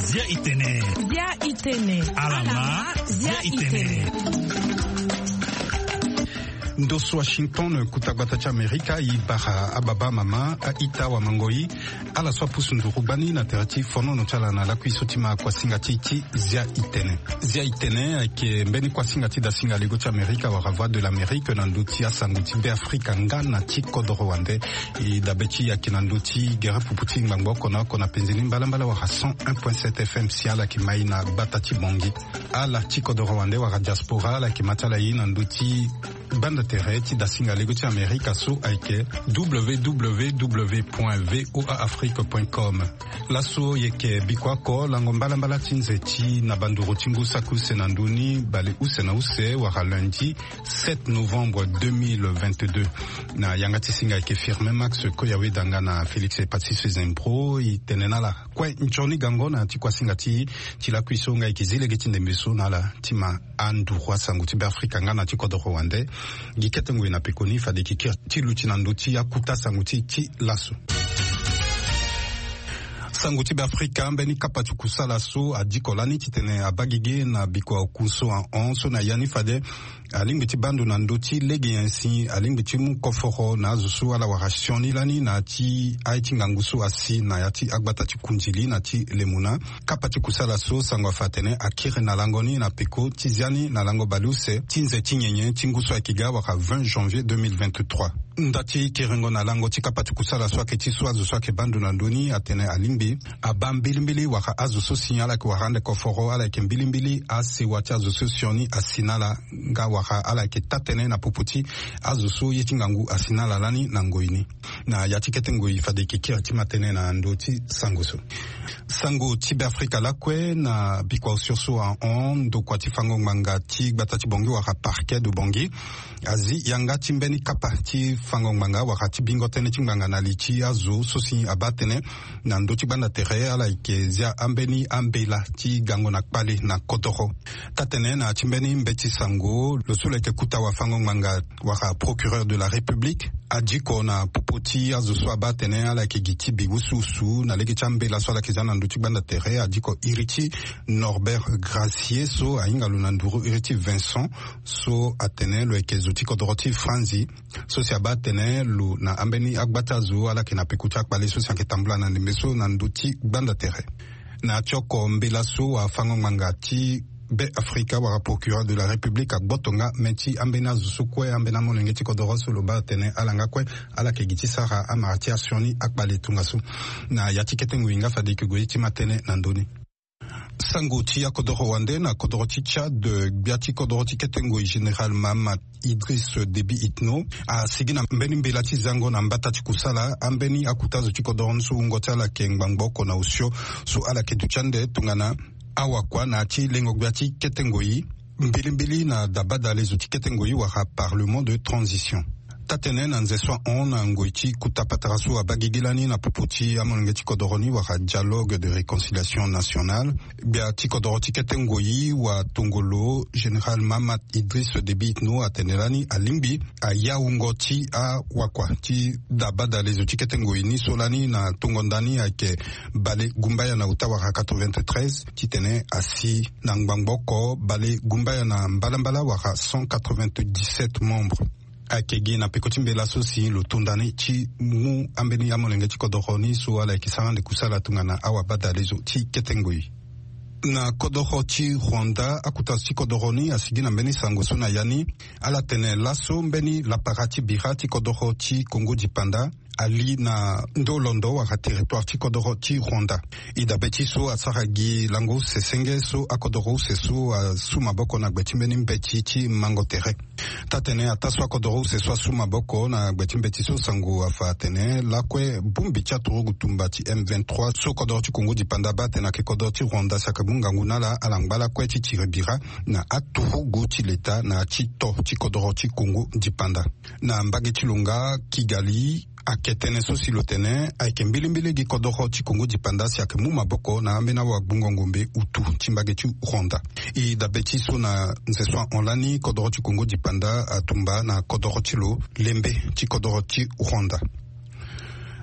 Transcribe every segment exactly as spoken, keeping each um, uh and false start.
Zia itene. Zia itene. Alama. Zia itene. Ndo so Washington, kuta gbata ti Amerika, e bara ababa, amama, a-ita, wamangoi, ala so apusu nduru gbani na tere ti fonono ti ala na lakui so ti ma kuasinga ti ti Zia itene. Zia itene ayeke mbeni kuasinga ti dasinga lego ti Amerika wala Voix de l'Amérique na ndö ti asango ti Beafrika nga na ti kodoro wande. E dabe ti e ayeke na ndö ti gere pupu ti ngbangbo oko na oko na penze ni mbalambala wala cent un point sept F M si ala yeke mai na gbata ti Bangui. Ala ti kodoro wande wala diaspora ala yeke ma ti ala ye na ndö ti gbanda tere ti dasinga lego ti Amerika so ayeke W W W point V O A Afrique point com. Laso e yeke bikua oko lango mbalambala ti nze ti na banduru ti ngu saki use na ndö ni bale use na use wala lundi sept novembre deux mille vingt-deux. Na yanga ti singa ayeke Firmin Max Koyawe Danga na Félix Hepatitis Zembro. E tene na ala kue nzoni gango na ya ti kuasinga ti e ti lakui so nga e yeke zi lege ti ndembe so na ala ti ma anduru asango ti Beafrika nga na ti kodoro wande. Gi kete ngoi na pekoni fade e yeke kiri ti luti na ndö ti akuta sango ti e ti laso. Sango ti Beafrika, mbeni kapa ti kusala so adiko lani titene abaa gigi na bikua oku so ahon so na ya ni fade alingbi ti baa ndo na ndö ti lege nyen si alingbi ti mu koforo na azo so ala wara sioni lani na ya ti aye ti ngangu so asi na ya ti agbata ti Kundili na ti Lemuna. Kapa ti kusala so sango afa atene akiri na lango ni na peko ti zia ni na lango baleuse ti nze ti nyenye ti ngu so ayeke ga wala vingt janvier deux mille vingt-trois. Nda ti kiringo na lango ti kapa ti kusala so ayeke ti so azo so ayeke baa ndo na ndö ni atene alingbi abaa mbilimbili wala azo so si ala yeke wara ande koforo ala yeke mbilimbili asewa ti azo so sioni asi na ala nga wala ala yeke taa-tënë na popo ti azo so ye ti ngangu asi na ala lani na ngoi ni. Na ya ti kete ngoi fade e yeke kiri ti ma tënë na ndö ti sango so. Sango ti Beafrika lakue na bikua osio so ahon ndokua ti fango ngbanga ti gbata ti Bangui wala Parquet de Bangui azi yanga ti mbeni kapa ti fango ngbanga wala ti bingo tënë ti ngbanga na li ti azo so si abaa tënë na ndö ti gbanda tere ala yeke zia ambeni ambela ti gango na kpale na kodoro. Taa-tënë na ya ti mbeni mbeti sango lo so lo yeke kuta wafango-ngbanga wala procureur de la République adiko na popo ti azo so abaa atene ala yeke gi ti bi wusuwusu na lege ti ambela so ala yeke zia na ndö ti gbanda tere adiko iri ti Norbert Gracier so ahinga lo na nduru iri ti Vincent so atene lo yeke zo ti kodoro ti Franzi so si abaa atene lo na ambeni agba ti azo ala yeke na peko ti akpale so si ayeke tambula na ndembe so na ndö ti gbanda tere. Na ya ti oko mbela so wafango-ngbanga ti Be Afrika wala procureur de la République agboto nga me ti ambeni azo so kue ambeni amolenge ti kodoro so lo baa atene ala nga kue ala yeke gi ti sara amara ti asioni akpale tongaso. Na ya ti kete ngoi nga fade e yeke gue ti ma tënë na ndö ni. Sango ti akodoro wande na kodoro ti Tchad, gbia ti kodoro ti kete ngoi général Mahamat Idriss Déby Itno asigi na mbeni mbela ti zango na mbata ti kusala ambeni akuta zo ti kodoro ni so wungo ti ala yeke ngbangbo oko na osio so ala yeke duti ande tongana awakua na ya ti lengo gbia ti kete ngoi mbilimbili na dabadale zo ti kete ngoi wala parlement de transition. Taa-tënë na nze so ahon na ngoi ti kota patara so abaa gigi lani na popo ti amolenge ti kodoro ni wala dialogue de réconciliation nationale, gbia ti kodoro ti kete ngoi watongolo général Mahamat Idriss Déby Itno atene lani alingbi aya wungo ti awakua ti dabadale zo ti kete ngoi ni so lani na tongo nda ni ayeke bale gumbaya na ota wala quatre-vingt-treize titene asi na ngbangbo oko bale gumbaya na mbalambala wala cent quatre-vingt-dix-sept membres. Ayeke gi na peko ti mbela so si lo to nda ni ti mu ambeni amolenge ti kodoro ni so ala yeke sara ande kusala tongana awabadale zo ti kete ngoi. Na kodoro ti Rwanda akuta zo ti kodoro ni asigi na mbeni sango so na ya ni ala tene laso mbeni lapara ti bira ti kodoro ti Kongo dipanda ali na ndo londo wala territoire ti kodoro ti Rwanda. E dabe ti so asara gi lango use senge so akodoro use so asu maboko na gbe ti mbeni mbeti ti mango tere. Taa-tënë ataa so akodoro use so asu maboko na gbe ti mbeti so sango afa atene lakue bongbi ti aturugu tumba ti M vingt-trois so kodoro ti Kongo dipanda abaa atene ayeke kodoro ti Rwanda si ayeke mu ngangu na ala ala ngba lakue ti tiri bira na aturugu ti leta na ya ti to ti kodoro ti Kongo dipanda. Na mbage ti lo nga Kigali Ayeke tënë so si lo tene ayeke mbilimbili gi kodoro ti kongo dipanda si ayeke mu maboko na ambeni awagbungo-ngombe utu ti mbage ti Rwanda. E dabe ti so na nze so ahon lani kodoro ti kongo dipanda atumba na kodoro ti lo lembe ti kodoro ti Rwanda.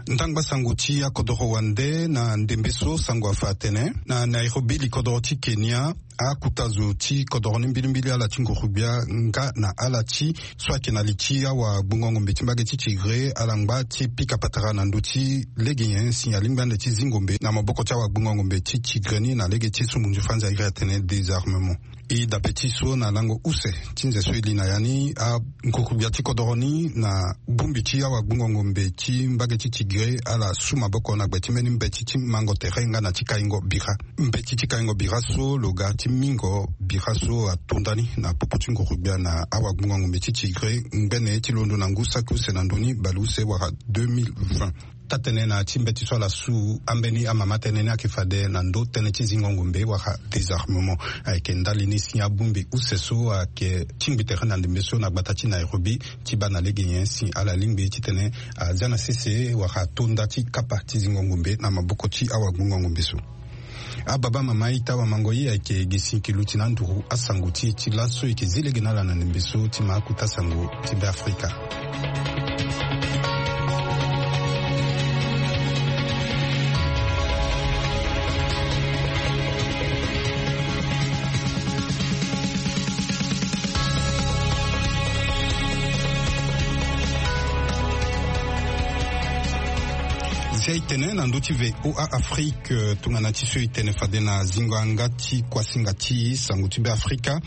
Ndangba sango ti akodoro wande na ndembe so sango afa atene na Nairobi li kodoro ti Kenya, akuta zo ti kodoro ni mbilimbili ala ti nguru-gbia nga na ala ti so ayeke na li ti awagbungo-ngombe ti mbage ti Tigre ala ngba ti pika patara na ndö ti lege nyen si alingbi ande ti zi ngombe na maboko ti awagbungo-ngombe ti Tigre ni na lege ti so munzu franzi ayiri atene désarmement. E dabe ti so na lango use ti nze so e li na ya ni, anguru-gbia ti kodoro ni na bongbi ti awagbungo-ngombe ti mbage ti Tigre ala su maboko na gbe ti mbeni mbeti ti mango tere nga na ti kaingo bira. Mbeti ti kaingo bira so lo ga ti mingo bira so ato ndani na popo ti nguru-gbia na awagbungo-ngombe ti Tigre ngbene ti londo na ngu saki use na ndö ni baleuse wala deux mille vingt. Taa-tënë na ya ti mbeti so ala su ambeni amama tënë ni ayeke fade na ndö tënë ti zingo ngombe wala désarmement. Ayeke ndali ni si abongbi use so ayeke tingbi tere na ndembe so na gbata ti Nairobi ti baa na lege nyen si ala lingbi titene azia na sese wala ato nda ti kapa ti zingo ngombe na maboko ti awagbungo ngombe so. Ababa mama ita wamango ye ayeke gi si e yeke luti na anduru asango ti e ti laso e yeke zi lege na ala na ndembe so ti ma akuta sango ti Beafrika. Zia e tene na ndö ti VOA Afrique, tongana ti so e tene fade na zingo yanga ti kuasinga ti sango ti Beafrika.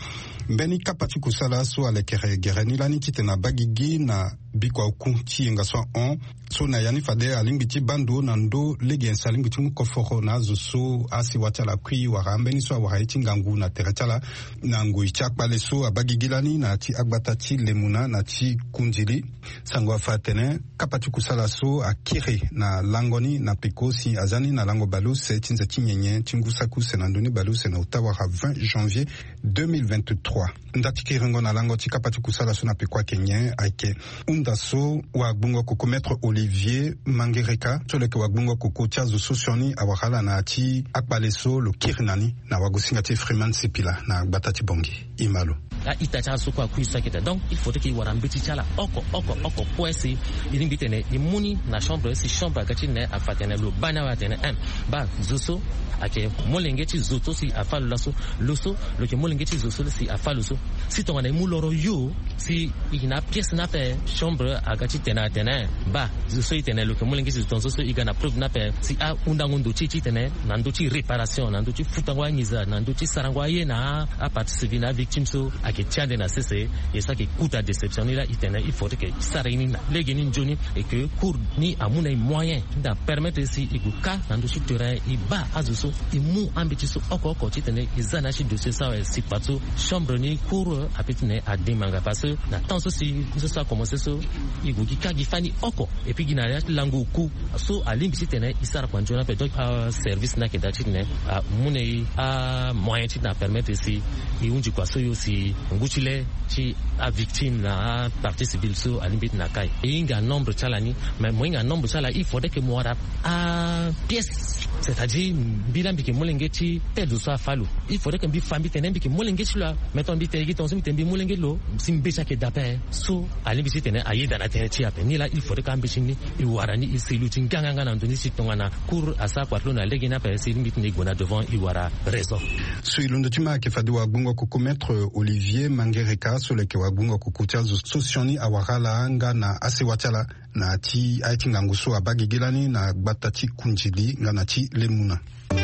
Mbeni kapa ti kusala so alekere gere ni lani titene abaa gigi na bikua oku ti yenga so ahon so na ya ni fade alingbi ti baa ndo na ndö lege nyen si alingbi ti mu koforo na azo so asewa ti ala akui wala ambeni so awara ye ti ngangu na tere ti ala. Na ngoi ti akpale so abaa gigi lani na ya ti agbata ti Lemuna na ti Kundili, sango afa atene kapa ti kusala so akiri na lango ni na peko si azia ni na lango baleuse ti nze ti nyenye ti ngu saki use na ndö ni baleuse na ota wala vingt janvier deux mille vingt-trois. Nda ti kiringo na lango ti kapa ti kusala so na peko ayeke nyen? Ayeke hunda so wagbungo koko Maître Olivier Mangereka so lo yeke wagbungo koko ti azo so sioni awara ala na ya ti akpale so lo kiri na ni na wagosinga ti Freeman Sipila na gbata ti Bangui. E ma lo. A-ita ti ala so kue akui so ayeke daa. Donc il faudrait que e wara mbeti ti ala oko oko oko kue si e lingbi titene e mu ni na chambre si chambre aga titene afa tene lo baa ni awe atene, em, baa zo so ayeke molenge ti zo so si afa lo laso. Lo so lo yeke molenge ti zo so si afa lo so. Si tongana e mu loro yo si e yeke na apièce ni ape chambre aga titene atene, baa zo so e tene lo yeke molenge ti zo tongaso so e ga na preuve ni ape si ahundango ndo ti e titene na ndö ti réparation, na ndö ti futango anginza, na ndö ti sarango aye na apartie civile na avictime so ayeke ti ande na sese. E so ayeke kota déception ni laa e tene il faudrait que e sara ye ni na lege ni nzoni. Et que cour ni amu na e moyen ti na permettre si e gue kâ na ndö ti terrain e baa azo so e mu ambeti so oko oko titene e za na ya ti dossier so awe si parti so chambre ni cour ape titene ademanga parce que na temps so si so so akomense so e gue gi kâ gi fani oko. Et puis gi na ya ti lango oku so alingbi titene e sara kua nzoni ape. Donc aservice ni ayeke daa titene amu na e amoyen titene apermettre si e hunzi kua so yo si ngu ti le ti avictime na apartie civile so alingbi titene akâ e. E hinga nombre ti ala ni. Mais mo hinga nombre ti ala il faudrait que mo wara apièce, c'est-à-dire mbi laa mbi yeke molenge ti tel zo so afa lo. Il faudrait que mbi fa mbi tene mbi yeke molenge ti lo. Maintenant mbi tene gi tongaso mbi tene mbi molenge ti lo si mbeti ayeke daa ape. So alingbi titene ayeda na tënë ti e ape. Ni laa il faudrait que ambeti ni e wara ni e si luti nganganga na ndo ni si tongana cour asara kua ti lo na lege ni ape si e lingbi titene e gue na devant e wara raison. So e londo ti ma ayeke fade wagbongo koko Maître Olivier Mangereka so lo yeke wagbongo koko ti azo so sioni awara ala nga na asewa ti ala na ya ti aye ti ngangu so abaa gigi lani na gbata ti Kundili nga na ti Lemuna. E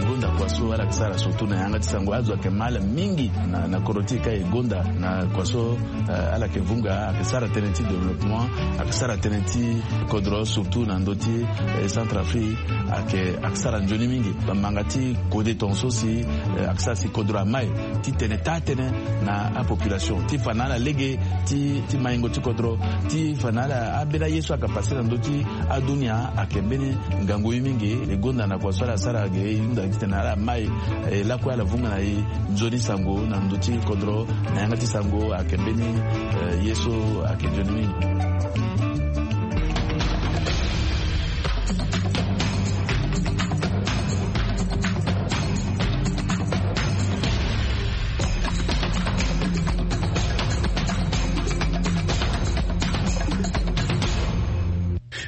gonda kua so ala yeke sara surtout na yanga ti sango azo ayeke ma ala mingi na, na kodro ti e ka e gonda na kua so, eh, ala yeke vunga ayeke sara tënë ti développement, ayeke sara tënë ti kodro surtout na ndö ti, eh, Centrafrique ayeke, ayeke sara nzoni mingi. Bamanga ti kode tongaso si, eh, ayeke sara si kodro amai ti tene taa tënë na apopulation ti fa na ala lege ti, ti maingo ti kodro ti fa na ala ambeni aye so ayeke pase na ndö ti adunia ayeke mbeni ngangu ye mingi. E gonda na kua so ala sara ge e hunda titene ala mai, eh, lakue ala vunga na e nzoni sango na ndö ti kodro na yanga ti sango ayeke mbeni, eh, ye so ayeke nzoni mingi.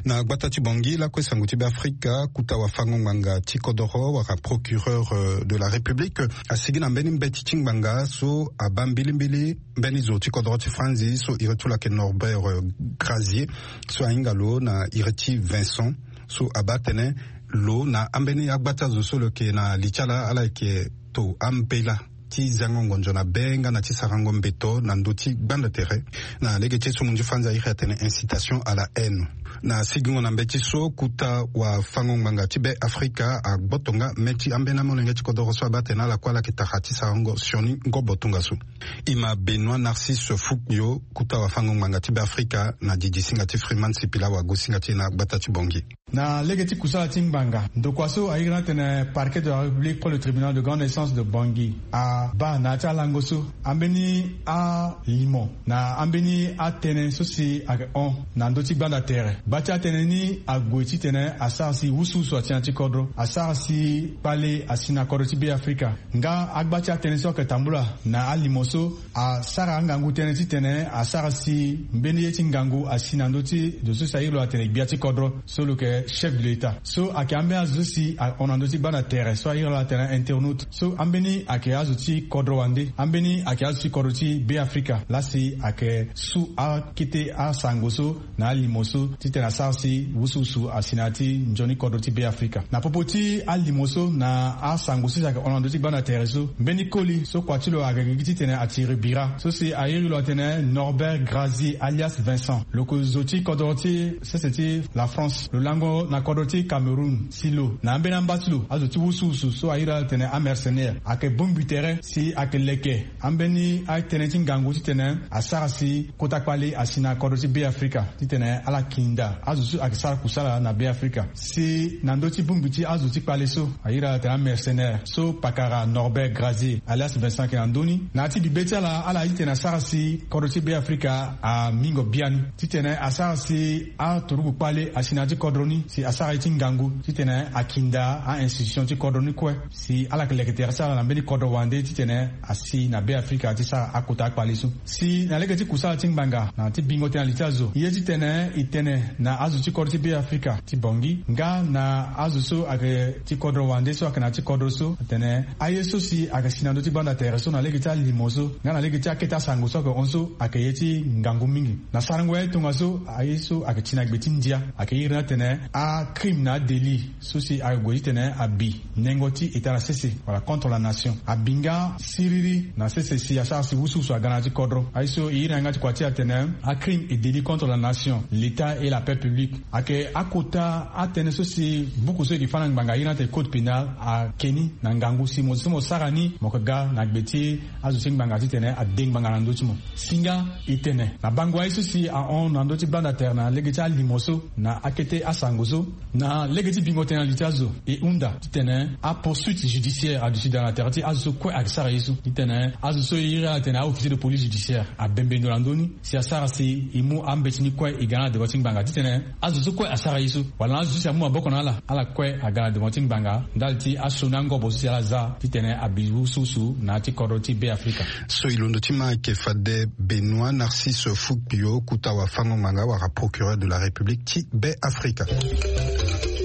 Na gbata ti Bangui lakue sango ti Beafrika, kuta wafango-ngbanga ti kodoro wala procureur de la République asigi na mbeni mbeti ti ngbanga so abaa mbilimbili mbeni zo ti kodoro ti Franzi so iri ti lo ayeke Norbert Grazier, so ahinga lo na iri ti Vincent, so abaa tënë lo na ambeni agbata zo so lo yeke na li ti ala ala yeke to ambela ti zango ngonzo na be nga na ti sarango mbeto na ndö ti gbanda tere. Na lege ti esumu nzu Franzi airi atene incitation à la haine. Na sigingo na mbeti so kuta wafango-ngbanga ti Beafrika agboto nga mê ti ambeni amolenge ti kodoro so abaa tene ala kue ala yeke tara ti sarango sioni ngobo tongaso. Ima Benoît Narcisse Fukio, kuta wafango-ngbanga ti Beafrika na didi singa ti Freeman Sipila wago singa ti e na gbata ti Bangui. Na lege ti kusala ti ngbanga, ndokua so airi ni atene Parquet de la République près le tribunal de grande instance de Bangui abaa na ya ti alango so ambeni alimo na ambeni atënë so si ayeke hon na ndö ti gbanda tere. Gba ti atënë ni ague titene asara si wusuwusu asi na ti kodro, asara si kpale asi na kodro ti Beafrika. Nga agba ti atënë so ayeke tambula na alimo so asara angangu tënë titene asara si mbeni ye ti ngangu asi na ndö ti zo so si airi lo atene gbia ti kodro so lo yeke chef de l'État. So ayeke ambeni azo so si ahon na ndö ti gbanda tere so airi lo atene internaute. So ambeni ayeke azo ti kodro wande, ambeni ayeke azo ti kodro ti Beafrika. Laa si ayeke su akete asango so na alimo so titene asara si wusuwusu asi na ya ti nzoni kodro ti Beafrika. Na popo ti alimo so na asango so si ayeke hon na ndö ti gbanda tere so, mbeni koli so kua ti lo ayeke gi titene atiri bira so si airi lo atene Norbert Grazier alias Vincent, lo yeke zo ti kodro ti sese ti la France, lo lango na kodro ti Cameroun. Si lo na ambeni amba ti lo azo ti wusuwusu so airi ala atene amercenaire ayeke bongbi tere si ayeke leke ambeni atënë ti ngangu titene asara si kota kpale asi na kodro ti Beafrika titene ala kinda azo so ayeke sara kusala na Beafrika. Si na ndö ti bongbi ti azo ti kpale so airi ala atene amercenaire so pakara Norbert Grazier alias Vincent ayeke na ndö ni, na ya ti bibe ti ala ala ye titene asara si kodro ti Beafrika amingo biani titene asara si aturugu kpale asi na ya ti kodro ni si asara ye ti ngangu titene akinda a-institution ti kodro ni kue si ala yeke leke tere ti ala na mbeni kodro wande titene asi na Beafrika ti sara akota akpale so. Si na lege ti kusala ti ngbanga na ti bingo tënë na li ti azo, ye titene e tene na azo ti kodro ti Beafrika ti Bangui nga na azo so ayeke ti kodro wande so ayeke na ya ti kodro so atene aye so si ayeke si na ndö ti gbanda tere so na lege ti alimo so nga na lege ti akete asango so ayeke hon so ayeke ye ti ngangu mingi. Na sarango ya ye tongaso aye so ayeke ti na gbe ti ndia ayeke iri ni atene acrime na adélit so si ayeke gue titene abi nengo ti eta na sese wala contre la nation. Abi nga siriri na sese si asara si wusuwusu aga na ya ti kodro. Aye so e iri na yanga ti kua ti e atene acrime et délit contre la nation, l'état et la paix publique. Ayeke akota atënë so si buku so e yeke fâ na ngbanga iri ni atene code pénal ake ni na ngangu si mo zo so mo sara ni mo yeke ga na gbe ti azo ti ngbanga titene ade ngbanga na ndö ti mo. Si nga e tene na bango aye so si ahon na ndö ti gbanda tere na lege ti alimo so na akete asango so, na lege ti bingo tënë na li ti azo e hunda titene apoursuite judiciaire aduti daa na tere ti azo so kue ayeke sara ye so. Titene azo so e iri ala tene a-officier de police judiciaire abembe ndo na ndö ni si asara si e mu ambeti ni kue e ga na ala devant ti ngbanga titene azo so kue asara ye so wala na azo so si amu maboko na ala, ala kue aga na devant ti ngbanga ndali ti asioni angobo so si ala za titene abi wusuwusu na ya ti kodro ti Beafrika. So e londo ti ma ayeke fade Benoît Narcisse Fukio, kuta wafango-ngbanga wala procureur de la République ti Beafrika.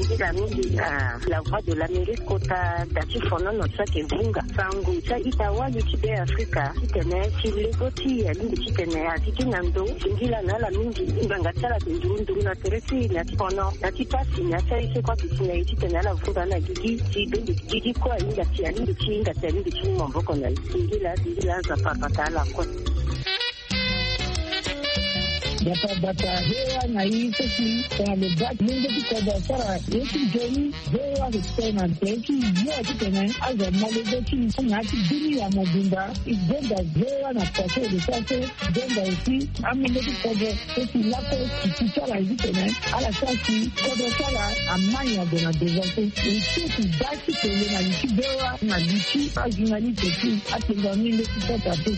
Nzila mingi na La Voix de l'Amérique kota da ti fonono so ayeke vunga sango ti a-ita wali ti Beafrika titene ti lego ti e alingbi titene atiki na ndo singila na ala mingi. Ngbanga ti ala ayeke nduru nduru na tere ti e na ti fono na ti pasi na ya ti aye so kue ayeke si na e titene ala vunga na gigi ti bende gigi kue ahinga ti alingbi ti hinga ti alingbi ti mu maboko na e. Singila singila Nzapa abata ala kue. Bata bata V O A na e so si tongana lo baa ti lenge ti kodro asara ye ti nzoni, V O A ayeke tene na tere ti yo titene azo amolenge ti e na ya ti bini ya mobimba. E gonda V O A na poto e lo sara so, gonda aussi amolenge ti kodro so si lakue ti ti ti ala ye titene ala sara si kodro ti ala amai ague na devant so. E so si baa ti tene na li ti V O A na li ti ajournaliste ti atengua ni nde ti kota so.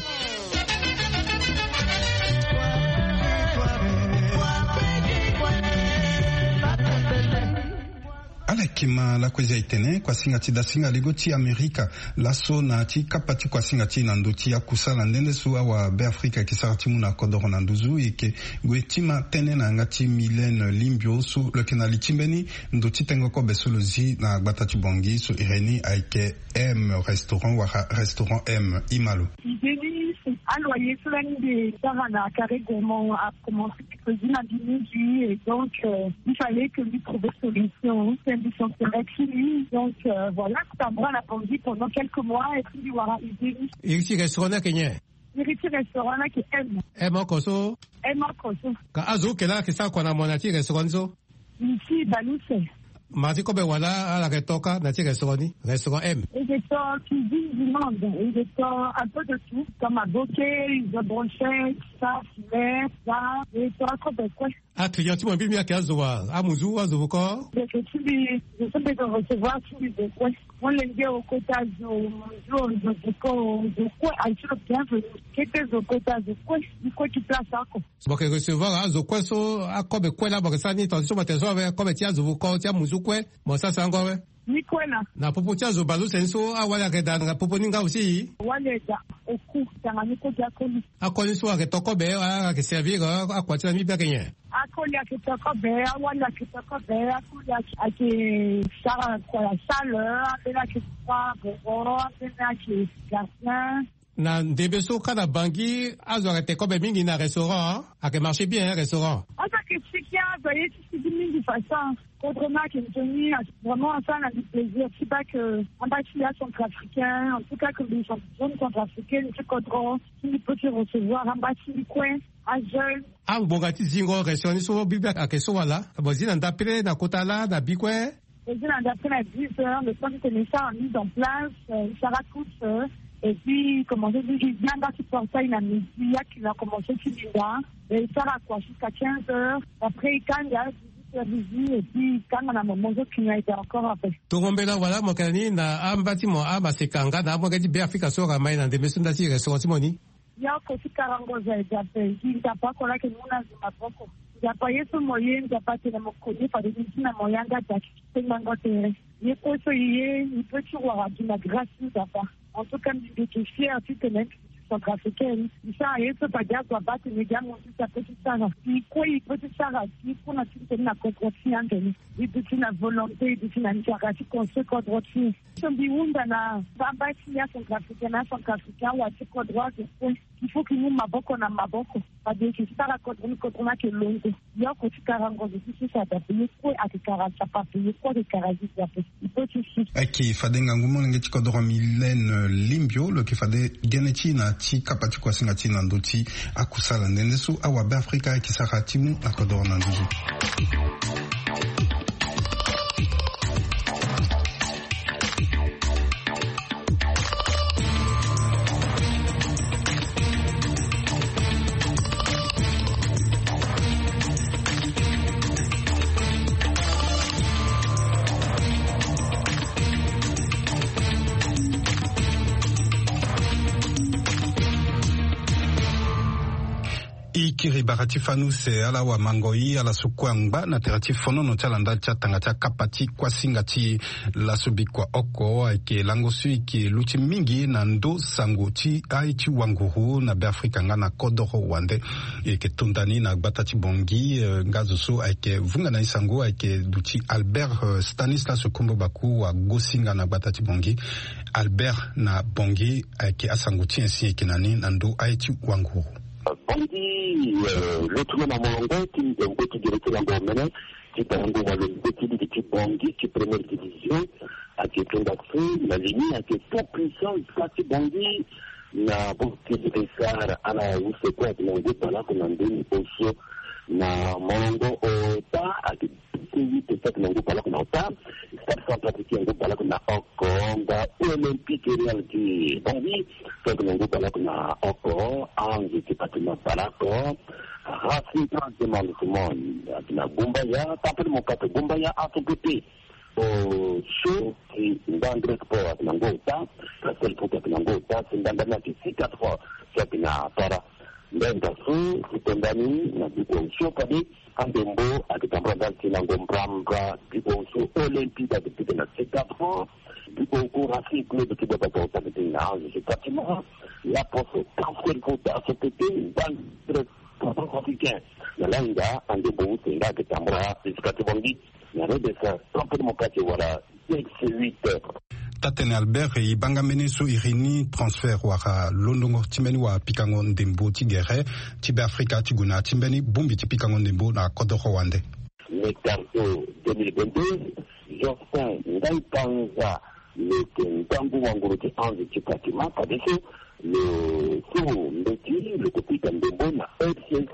Ala Kima lakue zi aitene kuasinga ti dasinga lego ti amerika laso na ti kapa ti kuasinga ti na ndo ti akusala nde nde so awa be afrika eke sara ti mu na kodoro na nduzu eke gue tima tene na yanga ti milene limbio so lo yeke na li ti mbeni ndo ti tengo kobe so lo zi na gbata ti bongi so ireni ayeke m restaurant wala restaurant m imalo. Idée ni, c'est aloyer so lani de sara na carré gourmand a commencé. Président du Midi, et donc euh, il fallait que lui trouver solution. C'est un de son collègue qui lui. Donc euh, voilà, ça bras la bandit pendant quelques mois et puis il aura aidé lui. Iri ti restaurant ni ayeke nyen? Iri ti restaurant ni ayeke M. M oko so? M oko so. Ka azo oke laa ayeke sara kua na mo na ti restaurant ni so? Ici baluse. Mara ti kobe wala ala yeke to kâ na ti restaurant ni, restaurant M? Eke to cuisine du monde, eke to un peu de tout comme aboke, izo brochette, ça filet, ça, eke to akobe kue. Aclient ti mo mbi mbi ayeke azo wa? Amuzu, azo voko? Ndeke ti mbi zo so mbi zo recevoir ti mbi zo kue. Molenge okota zo muzu, zo voko, zo kue aye ti lo bienvenu. Kete zo kota zo kue, mbi kue ti place oko. Mo yeke recevoir azo kue so akobe kue laa mo yeke sara ni tonga ti so mo tene so awe kobe ti azo voko ti amuzu kue, mo sara sango awe? Ni kue laa. Na popo ti azo baleuse ni so awali ayeke daa na popo ni nga aussi? Wali daa. Oku tanga ni kue gi akoli. Akoli so ayeke to kobe wala ayeke servir akua ti na mbi mbi ayeke nyen? Akoli ayeke to kobe, awali ayeke to kobe, akoli ayeke sara kua ya salle, ambeni ayeke sara boro, ambeni ayeke gardien. Na ndembe so kâ na bangi azo arete kobe mingi na restaurant, ayeke marché bien restaurant? Azo ayeke siki azo aye ti siki mingi façon. Kodro ni ayeke nzoni. Vraiment asara na mbi plaisir ti baa ke amba ti mbi acentrafricain, en tout cas ke mbi jeune centrafricaine ti kodro ti mbi peut ti recevoir amba ti mbi kue. Ajeune. Angbonga ti zingo restaurant ni so bibe ayeke so wala mo zi na ndapele na kota laa na bi kue? Ezi na ndapele na dix heures le temps ti tene esara mise en place, esara toute. Et puis commence ti zi anga ti portail na midi, akina commence ti linda. Esara kua jusqu'à quinze heures, après ekanga dix-huit heures et puis ekanga na moment so kina ete encore après. Tongo mbela wala mo yeke na ni na amba ti mo amaseka nga na amolenge ti be afrika so aramai na ndembe so nda ti restaurant ti mo ni? Yoko ti karango za eda pe gi nzapa oko lake mu na zo maboko. Nzapa ye so mo ye nzapa atene mo koni fade ni ti na mo yanga daki ti tengbango tere. Ye kue so ye ye ni pe ti wara gi na grâce ti nzapa. En tout cas mbi mbi yeke fier ti tene mbi centrafricaine. Mbi sara ye so fade azo abaa tene gi amonti ti ape ti sara. Gi kue e pe ti sara gi kue na ti tene na kodro ti e ande ni. E duti na volonté, e duti na nzara ti construire kodro ti e. So mbi hunda na bamba ti ya centrafricain na centrafricain awa ti kodro azo kue. Il faut ki mu maboko na maboko. Fade ki sara kodro ni kodro ni ayeke londo. Yoko ti kara ngozo ti sisa dape ye kue ayeke kara nzapa ape ye kue ayeke kara zizi ape. Il faut ti si. Ayeke fade ngangu molenge ti kodro Mylène Limbio lo yeke fade gene ti e na ti kapa ti kuasinga ti e na ndö ti akusala nde nde so awabe afrika ayeke sara ti mu na kodro na nduzu. E kiri bara ti fani use ala wamango e ala so kue angba na tere ti fonono ti ala ndali ti atanga ti akapa ti kuasinga ti e. Laso bikua oko ayeke lango so e yeke luti mingi na ndö sango ti aye ti wanguru na be afrika nga na kodoro wande. E yeke tonda ni na gbata ti bongi nga zo so ayeke vunga na e sango ayeke duti albert stanislas kombo baku wagosinga na gbata ti bongi. Albert na bongi ayeke asango ti e si e yeke na ni na ndö aye ti wanguru. Bongi lotu na molongo ti nzembo ti gere ti lango omene ti bango walo mbe ti ligi ti bongi ti première division. Ayeke tonda so na lini ayeke tout puissant ka ti bongi. Na bongi ti esar ala use kue ayeke na ngu balaku na ndeni oso na molongo ota ayeke. Ti huit stade na ngu baleoko na ota. Stade centrafricain ngu baleoko na oko. Nga olympique real ti bongi stade na ngu baleoko na oko. Ange ti patima baleoko. Racing trans de monde simon. Ati na gumbaya tampele mokato gumbaya asogote. O so ti ndangrek po ati na ngu ota. Castel foot ati na ngu ota si ndandani ati six quatre fois. Si ati na para. Ndenda so ti tonda ni na biko osio fade andembo ayeke tambula ndali ti lango mbrambra. Biko osio olympique ayeke pika na Chicago. Biko oko Racing Club ti baba bauta ti na ange ti Fatima. Laposo transfert fota so tete banque centrafricain na lainga andembo use nga ayeke tambula jusqu'à ti bangi na redes trente mo kati wala. Tate-tene Albert, e banga mbeni so iri ni transfert wala londongo ti mbeni wapikango ndembo ti gere ti Beafrika ti gue na ya ti mbeni bongbi ti pikango ndembo na kodoro wande. Mercato deux mille vingt-deux, Jospin Ngai Panza lo yeke ngangu wanguru ti ange ti Fatima, fadeso lo so mbeti lo yeke pika ndembo na F C cent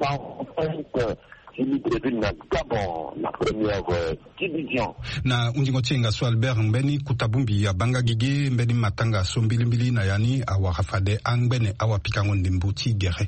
cinq ti Libreville na Gabon na première, euh, division. Na hunzingo ti yenga so Albert, mbeni kota bongbi abanga gigi mbeni matanga so mbilimbili na ya ni awara fade angbene awapikango ndembo ti gere.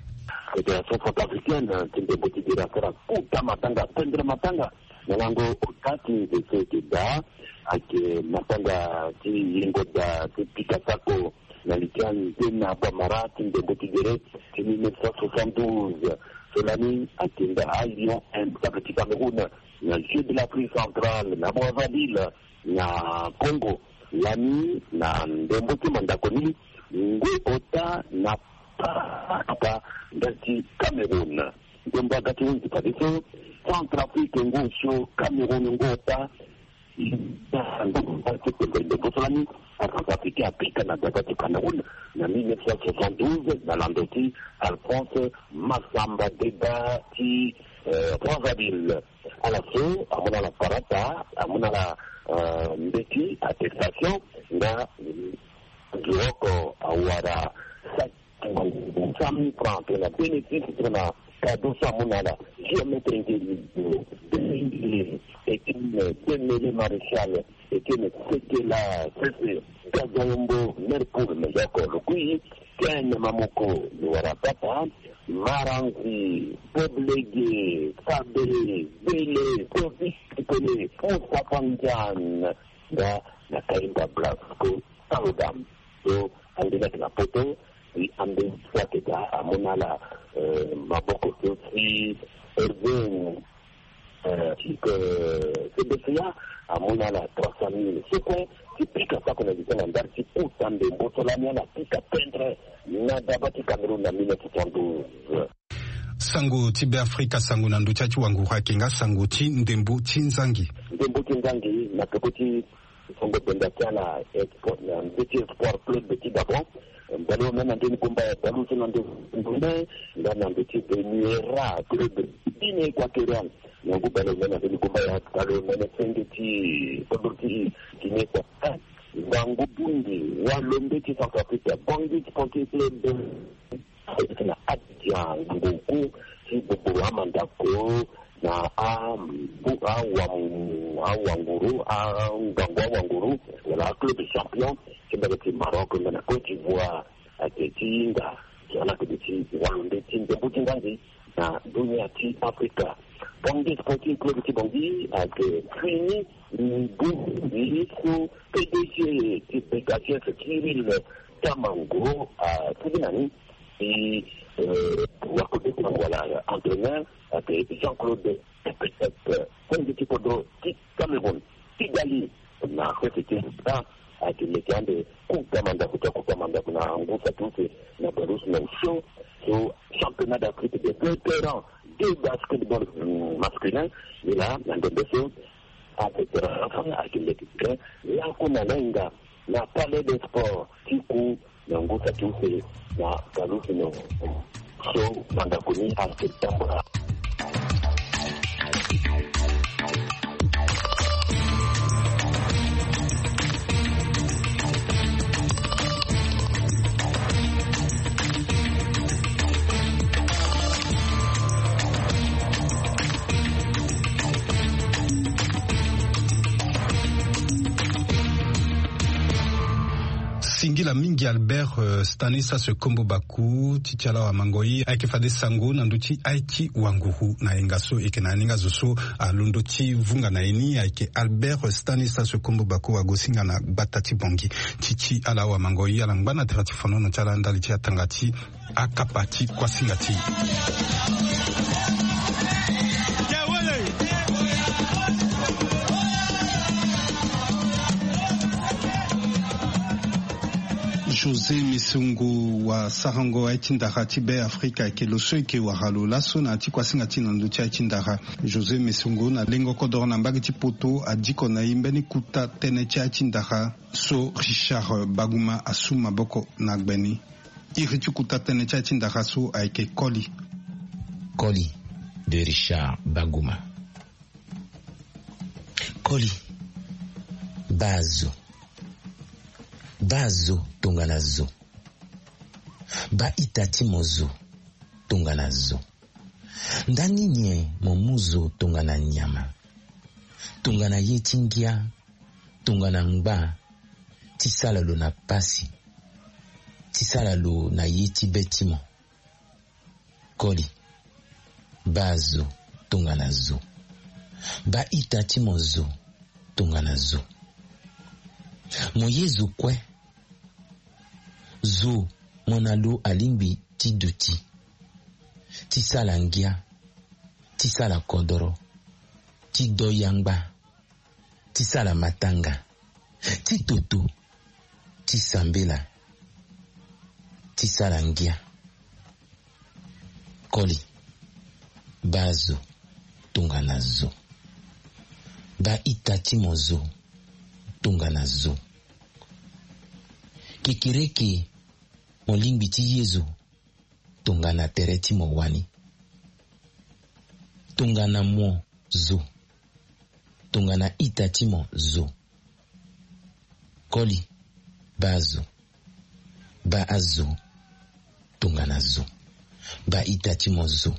Fédération centrafricaine ti ndembo ti gere asara kota matanga, tendre matanga na lango ota ti nze so eke daa. Ayeke matanga ti yengo daa ti pika sako na li ti anzena bamara ti ndembo ti gere ti mille neuf cent soixante-douze. So lani ayeke nda aLion Implacable ti Cameroun na Jeux de l'Afrique centrale na Brazzaville na Congo. Lani na ndembo ti mandako ni, ngu ota na paka ndali ti Cameroun. Ndembo aga ti hunzi fadeso, Centrafrique ngu osio, Cameroun ngu ota. Ndembo so lani Centrafricain apika na daba ti Cameroun na mille neuf cent soixante-douze na lando ti Alphonse Massamba Débat ti, euh, Brazzaville. Ala so amu na ala parata, amu na ala, euh, mbeti, attestation, nga, euh, duroko awara sa cent mille francs tongana bénéfice tongana cadeau so amu na ala. Géomètre Ngeli, Etienne Demele Maréchal, Etienne Sekela Sese, Gazombo, Merpool, Melioko, Lukui, Ken Mamoko, Luwara Papa, Maranzi, Boblege, Fabe, Bele, Kofi, Pele, Moussa Pandian, nga na Kaimba Blasco, Salodam. So ande ni ayeke na poto, si ande ni so ayeke daa amu na ala, euh, maboko so si Hervé, euh, ti, euh, C B C A amu na ala trois cent mille so kue ti pika sako na li ti ala ndali ti kota ndembo so lani ala pika tendre na daba ti Cameroun na mille neuf cent soixante-douze. Sango ti Beafrika, sango na ndö ti ya ti wanguru ayeke nga sango ti ndembo ti nzangi. Ndembo ti nzangi na peko ti Songo benda ti ala, espoir, na ndö ti Espoir Club ti Gabon. Baleomene na ndö ni gomba ya baleuse na ndö ni, nga na ndö ti Remuera Club Guinée Équatoriale. Na ngu baleomene na ndö ni gomba ya baleomene senge ti kodro ti Guinée Équatoriale. Ngangu bongbi, walombe ti Centrafrique, Bangui Sporting Club. Na Abidjan, ngongu ti gbogboro amandako na a-, awam-, awanguru, angangu awanguru, wala aclub champion ti mbage ti Maroc nga na Côte d'Ivoire. Ayeke ti hinga so ala yeke duti walo nde ti ndembo ti nganzi na dunia ti Afrika. Bangui Sporting Club ti Bangui ayeke fini ngu ye so P D G ti B K C S, Kirill Tamango, asigi na ni. Ti, euh, wakode ti bango wala entraîneur ayeke Jean-Claude Epesep, konzi ti kodro ti Cameroun. Kigali, na fete ti Afrika, ayeke meke ande kota mandako ti akota mandako na ngu saki use na Belarus na osio. So championnat d'Afrique des vétérans de basketball, mm, masculin, ni laa na ndembe so afetera afa ayeke meke laku na lainga na Palais des Sports ti ku na ngu saki use na Belarus na osio. Mandako ni ayeke tambula. Singila mingi Albert Stanislas Kombo Baku ti ti ala wamango ye ayeke fade sango na ndö ti aye ti wanguru na yenga so eke na aninga zo so alondo ti vunga na ye ni ayeke Albert Stanislas Kombo Baku wagosinga na gbata ti Bongi. Ti ti ala wamango ye ala ngba na tere ti fonono ti ala ndali ti atanga ti akapa ti kuasinga ti José Mesongo wasarango aye ti ndara ti Be Afrika ayeke lo so eke wara lo laso na ya ti kuasinga ti na ndö ti aye ti ndara. José Mesongo na lengo kodoro na mbage ti poto adiko na e mbeni kuta tënë ti aye ti ndara so Richard Baguma asu maboko na gbe ni. Iri ti kuta tënë ti aye ti ndara so ayeke Koli. Koli de Richard Baguma. Koli. Baa zo. Baa zo tongana zo. Baa ita ti mo zo tongana zo. Ndani nyen mo mu zo tongana nyama, tongana ye ti ngia, tongana ngba, ti sala lo na pasi, ti sala lo na ye ti be ti mo? Koli. Baa zo tongana zo. Baa ita ti mo zo tongana zo. Mo ye zo kue. Zo mo na lo alingbi ti duti, ti sala ngia, ti sala kodoro, ti do yangba, ti sala matanga, ti toto, ti sambela, ti sala ngia. Koli. Baa zo tongana zo. Baa ita ti mo zo tongana zo. Kekereke mo lingbi ti ye zo tongana tere ti mo wani. Tongana mo zo. Tongana ita ti mo zo. Koli. Baa zo. Baa azo tongana zo. Baa ita ti mo zo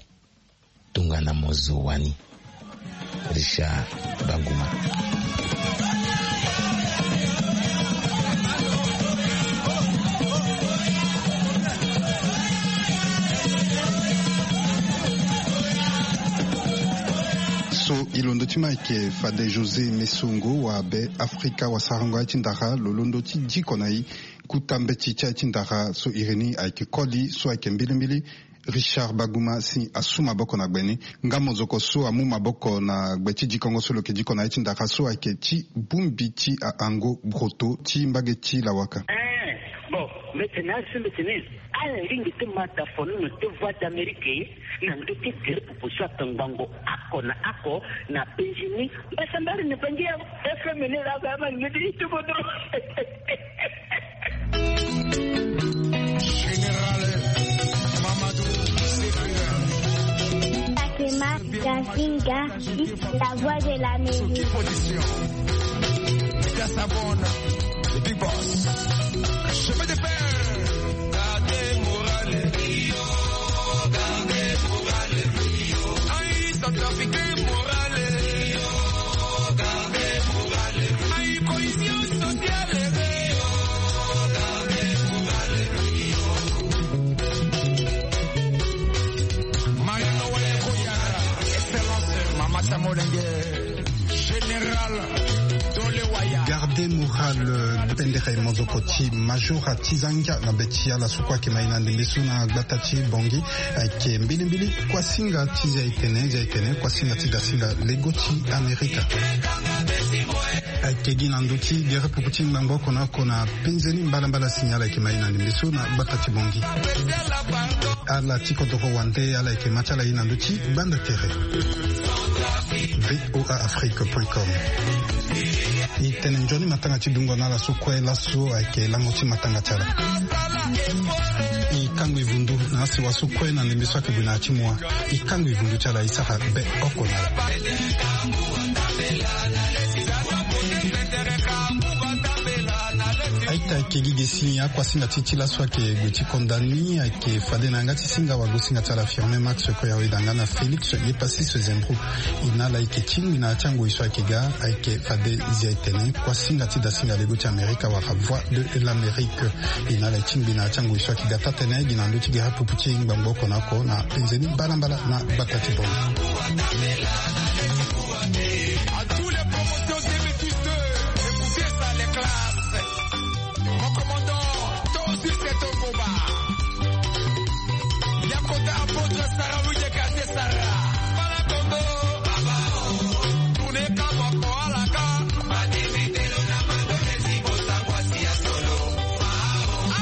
tongana mo zo wani. Richard Baguma. So e londo ti ma ayeke fade José Mesongo wa Be Afrika wasarango aye ti ndara lo londo ti diko na e. Kuta mbeti ti aye ti ndara so iri ni ayeke koli so ayeke mbilimbili Richard Baguma si asu maboko na gbe ni. Nga mozoko so amu maboko na gbe ti dikongo so lo yeke diko na aye ti ndara so ayeke ti bongbi ti ahango broto ti mbage ti lawaka. Ee, bon, mbeti na asu mbeti ni. Ala lingbi ti ma ta fonono ti Voix d'Amérique na ndö ti gere pupu so atongbango oko na oko na penzi ni. Mbasambari ni bangi ya F M ni la ba ma ngedi ti bodo. Général Mamadou Sekou. Fatima Gazinga, la voix de la mairie. Sous qui position? Dia Sabon, le big boss. Chemin de fer. Gardez moral. Gardez moral. Aïe, centrafricain moral. Gardez moral. Pendere mozoko ti majora ti zangia na be ti ala so kue ayeke ma e na ndembe so na gbata ti Bongi. Ayeke mbilimbili kuasinga ti zia etene zia etene kuasinga ti dasinga lego ti Amerika. Ayeke gi na ndö ti gere pupu ti ngbangbo oko na oko na penze ni mbalambala signal ayeke ma e na ndembe so na gbata ti Bongi. Ala ti kodoro wande ala yeke ma ti ala ye na ndö ti gbanda tere. V O A Afrique point com. E tene nzoni matanga ti dungo na ala so kue laso ayeke lango ti matanga ti ala. E kango e vundu na asiwa so kue na ndembe so ayeke gue na ya ti mua. E kango e vundu ti ala e sara be oko na ala. Aye Ayeke gi ge si akuasinga ti ti laso ayeke gue ti konda ni ayeke fade na yanga ti singa wago singa ti ala Firmin Max Koyawe danga na Félix Yepassis Zembro. E na ala ayeke tingbi na ya ti angoi so ayeke ga ayeke fade zia etene kuasinga ti dasinga lego ti Amerika wala Voix de l'Amérique. E na ala e tingbi na ya ti angoi so ayeke ga taa-tënë gi na ndö ti gere apupu ti e ngbangbo oko na oko na nzoni mbalambala na gbata ti Bangui.